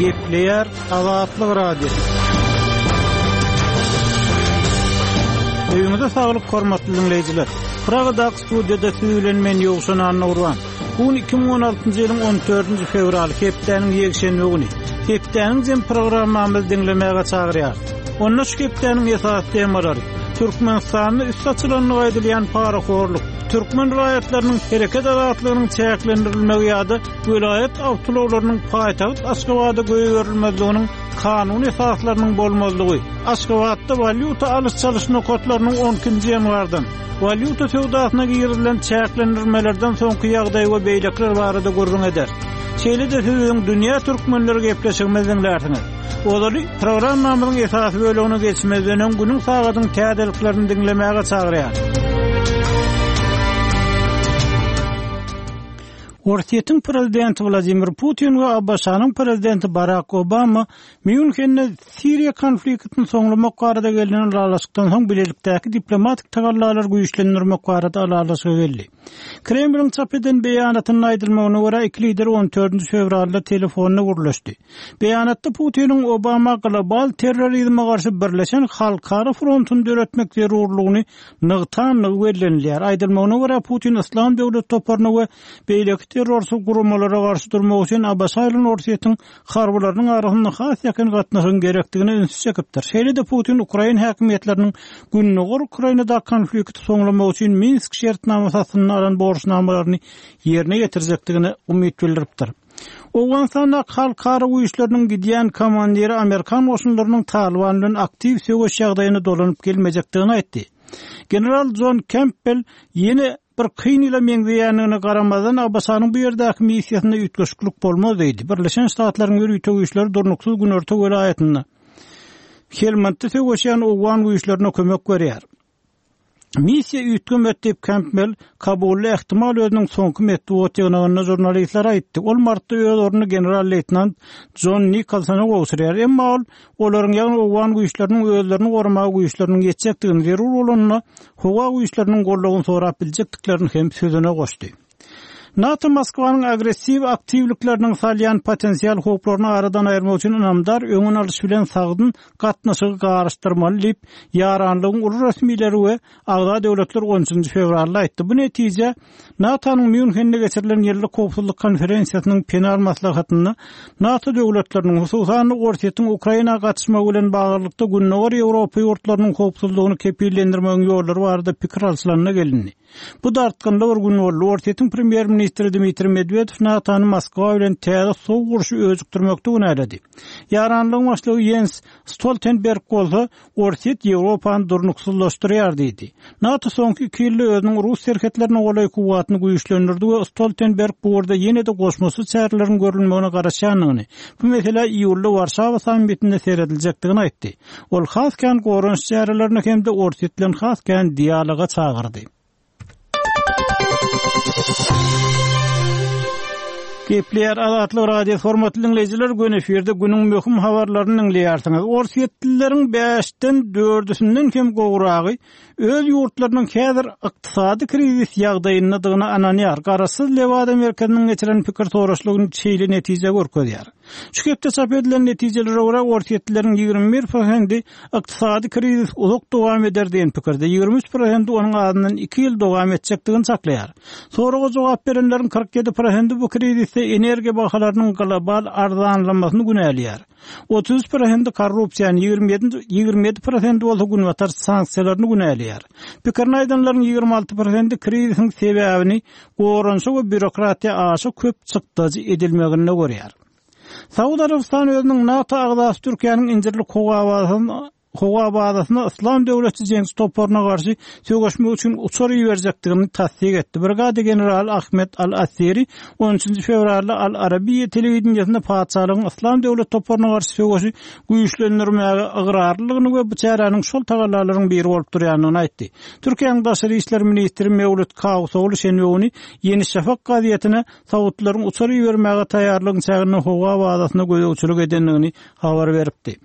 Gepleýär Azatlyk Radiosy. Öýüňize saglyk hormatly diňleýjiler. Pragadaky studiýada siz bilen men Ýowşan Annagurban. Bu gün 2016-njy ýylyň 14-nji fewraly, hepdäniň ýekşenbe güni. Hepdäniň jem programmamyzy diňlemäge çagyrýarys. Onda şu hepdäniň esasy temalary, Türkmenistanda üsti açylandygy aýdylýan parahorluk, türkmen raýatlarynyň hereket azatlygynyň çäklendirilmegi ýa-da welaýat awtoulaglarynyň paýtagt Aşgabada goýberilmezliginiň kanuny esaslarynyň bolmazlygy, Aşgabatda walýuta alyş-çalyş nokatlarynyň on ikinji ýanwardan, walýuta söwdasyna girizilen çäklendirmelerden soňky ýagdaý we beýlekiler barada gürrüň ederis. Şeýle-de siz biziň Dünýä türkmenleri gepleşigimizi diňlärsiňiz. Ozaly, programmamyzyň esasy bölegine geçmezden öň günüň sagadyň täzeliklerini diňlemäge çagyrýarys. Orsýetiň prezidenti Wladimir Putin we ABŞ-nyň prezidenti Barak Obama Mýunhende Siriýa konfliktini soňlamak barada gelnen ylalaşykdan soň bilelikdäki diplomatik tagallalary güýçlendirmek barada ylalaşyga geldi. Kremliň çap eden beýanatynda aýdylmagyna görä, iki lider on dördünji fewralda telefonda gürleşdi. Beýanatda Putiniň Obama global terrorizme garşy birleşen halkara frontuny döretmek zerurlygyny nygtandygy bellenilýär. Aýdylmagyna görä, Putin Yslam döwleti toparyna we beýleki terrorçy guramalara garşy durmak üçin ABŞ bilen Orsýetiň harbylarynyň arasynda has ýakyn gatnaşygyň gerekdigine ünsi çekipdir. Şeýle-de Putin ukrain häkimiýetleriniň Gündogar Ukrainadaky konflikti soňlamak üçin Minsk şertnamasy astynda alan borçnamalaryny ýerine ýetirjekdigine umyt bildiripdir. Owganystandaky halkara güýçleriniň gidýän komandiri amerikan goşunlarynyň Talyban bilen aktiw söweş ýagdaýyna dolanyp gelmejekdigini aýtdy. General Jon Kempbel ýene bir kyn ýyla meňzeýändigine garamazdan, ABŞ-nyň bu ýerdäki missiýasynda üýtgeşiklik bolmaz diýdi. Birleşen Ştatlaryň ýörite güýçleri durnuksyz günorta welaýatynda Helmandda söweşýän owgan güýçlerine kömek berýär. Missiýa üýtgemedi diýip, Kempbell Kabulda ähtimal özüniň soňky metbugat ýygnagynda žurnalistlere aýtdy. Ol martda öz ornuny general-leýtenant Jon Nikolsona gowşurýar. Emma ol olaryň, ýagny owgan güýçleriniň özlerini goramaga güýçleriniň ýetjekdigini, zerur bolanda howa güýçleriniň goldawyny sorap biljekdiklerini hem sözüne goşdy. NATO Moskwanyň agressiw aktiwlikleriniň salýan potensial howplaryny aradan aýyrmak üçin ynamdar öňüni alyş bilen sagdyn gatnaşygy garyşdyrmaly diýip, ýaranlygyň uly resmileri we agza döwletler on üçünji fewralda aýtdy. Bu netije NATO-nyň Mýunhende geçirilen ýyllyk howpsuzlyk konferensiýasynyň penal maslahatynda NATO döwletleriniň, hususan-da Orsýetiň Ukraina gatyşmagy bilen baglylykda Gündogar Ýewropa ýurtlarynyň howpsuzlygyny kepillendirmegiň ýollary barada pikir alşylanda gelindi. Bu dartgynly bir gün boldy. Orsýetiň premýer-ministri Dmitriý Medwedew NATO-ny Moskwa bilen täze sowuk urşy öjükdirmekde günäledi. Ýaranlygyň başlygy Ýens Stoltenberg bolsa, Orsýet Ýewropany durnuksyzlaşdyrýar diýdi. NATO soňky iki ýylda özüniň rus serhetlerine golaý kuwwatyny güýçlendirdi we Stoltenberg bu ugurda ýene-de goşmaça çäreleriň görülmegine garaşýandygyny, bu meselä iýulda Warşawa sammitinde serediljekdigini aýtdy. Ol has kän goranyş çärelerine hem-de Orsýet bilen has kän dialoga çagyrdy. Gepleýär Azatlyk Radiosy hormatly diňleýjiler göni efirde günüň möhüm habarlaryny diňleýärsiňiz. Orsýetlileriň bäşden dördüsinden hem gowragy öz ýurtlarynyň häzir ykdysady krizis ýagdaýyndadygyna ynanýar. Garaşsyz Lewada merkeziniň geçiren pikir soraşlygy şeýle netije görkezýär. Şu hepde çap edilen netijelere görä, orsýetlileriň 21 prosendi ykdysady krizis uzak dowam eder diýen pikirde, 23 prosendi onuň azyndan iki ýyl dowam etjekdigini çaklaýar. Soraga jogap berenleriň 47 prosendi bu krizisde energiýa bahalarynyň global arzanlamasyny günäleýär. 33 prosendi korrupsiýany, 27 prosendi bolsa günbatar sanksiýalaryny günäleýär. Pikirini aýdanlaryň 26 prosendi krizisiň sebäbini goranyşa we býurokratiýa aşa köp çykdajy edilmeginde görýär. Saud Arabystany özüniň NATO agzasy Türkiýäniň Injirlik howa bazasyna Yslam döwleti jeňçi toparyna garşy söweşmek üçin uçar iberjekdigini tassyk etdi. Brigada generaly Ahmed Al-Assiri on üçünji fewralda Al-Arabiýa telewideniýesinde patyşalygyň Yslam döwleti toparyna garşy söweşi güýçlendirmäge ygrarlydygyny we bu çäräniň şol tagallalaryň biri bolup durýandygyny aýtdy. Türkiýäniň daşary işler ministri Mewlüt Kawusogly şenbe güni Ýeni Şafak gazetine saudlaryň uçar ibermäge taýýarlygyň çäginde howa bazasyna gözegçilik edendigini habar beripdi.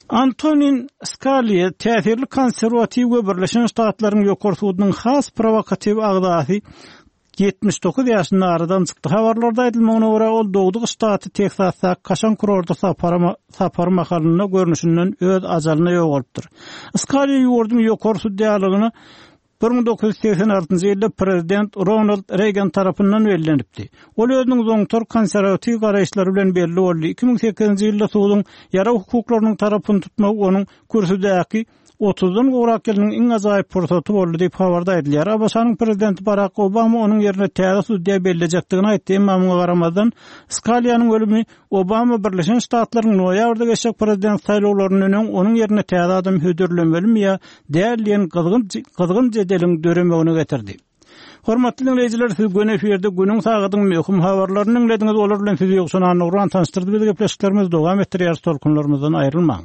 Antonin Skaliýa täsirli konserwatiw we Birleşen Ştatlaryň Ýokary sudunyň has prowokatiw agzasy. 79 ýaşynda aradan çykdy. Habarlarda aýdylmagyna görä, ol dogduk ştaty Teksasdaky kaşaň kurorta sapary mahalynda görnüşinden öz ajalyna ýogalypdyr. Skaliýa ýurduň ýokary sudýalygyna 1986-njy ýylda prezident Ronald Reýgan tarapyndan bellenipdi. Ol özüniň zoňtar konserwatiw garaýyşlary bilen belli boldy. 2008-nji ýylda suduň ýarag hukuklarynyň tarapyny tutmagy onuň kürsüdäki otuzdan gowrak ýylynyň iň ajaýyp pursaty boldy diýip, habarda aýdylýar. ABŞ-nyň prezidenti Barak Obama onuň ýerine täze sudýa bellejekdigini aýtdy, emma muňa garamazdan, Skaliýanyň ölümi Obama Birleşen Ştatlaryň noýabrda geçjek prezident saýlawlaryndan öň onuň ýerine täze adam hödürlemelimi ýa däl diýen gyzgyn gyzgyn jedeliň döremegine getirdi. Hormatly diňleýjiler, siz göni efirde günüň sagadyň möhüm habarlaryny diňlediňiz. Olar bilen sizi Ýowşan Annagurban tanyşdyrdy. Biz gepleşiklerimizi dowam etdirýäris, tolkunlarymyzdan aýrylmaň.